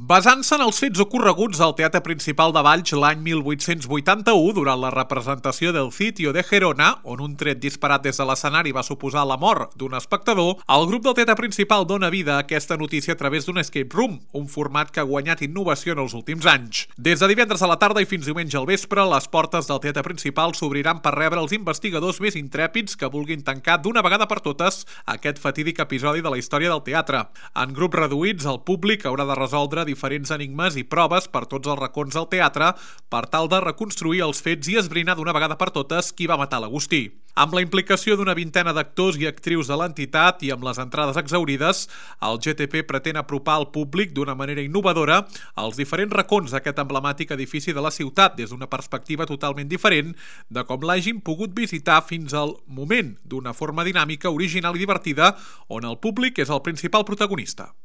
Basant-se en els fets ocorreguts al Teatre Principal de Valls l'any 1881 durant la representació del Sitio de Gerona, on un tret disparat des de l'escenari va suposar la mort d'un espectador, el grup del Teatre Principal dona vida a aquesta notícia a través d'un escape room, un format que ha guanyat innovació en els últims anys. Des de divendres a la tarda i fins diumenge al vespre, les portes del Teatre Principal s'obriran per rebre els investigadors més intrèpids que vulguin tancar d'una vegada per totes aquest fatídic episodi de la història del teatre. En grups reduïts, el públic haurà de resoldre diferents enigmes i proves per tots els racons del teatre per tal de reconstruir els fets i esbrinar d'una vegada per totes qui va matar l'Agustí. Amb la implicació d'una vintena d'actors i actrius de l'entitat i amb les entrades exhaurides, el GTP pretén apropar al públic d'una manera innovadora als diferents racons d'aquest emblemàtic edifici de la ciutat des d'una perspectiva totalment diferent de com l'hagin pogut visitar fins al moment, d'una forma dinàmica, original i divertida, on el públic és el principal protagonista.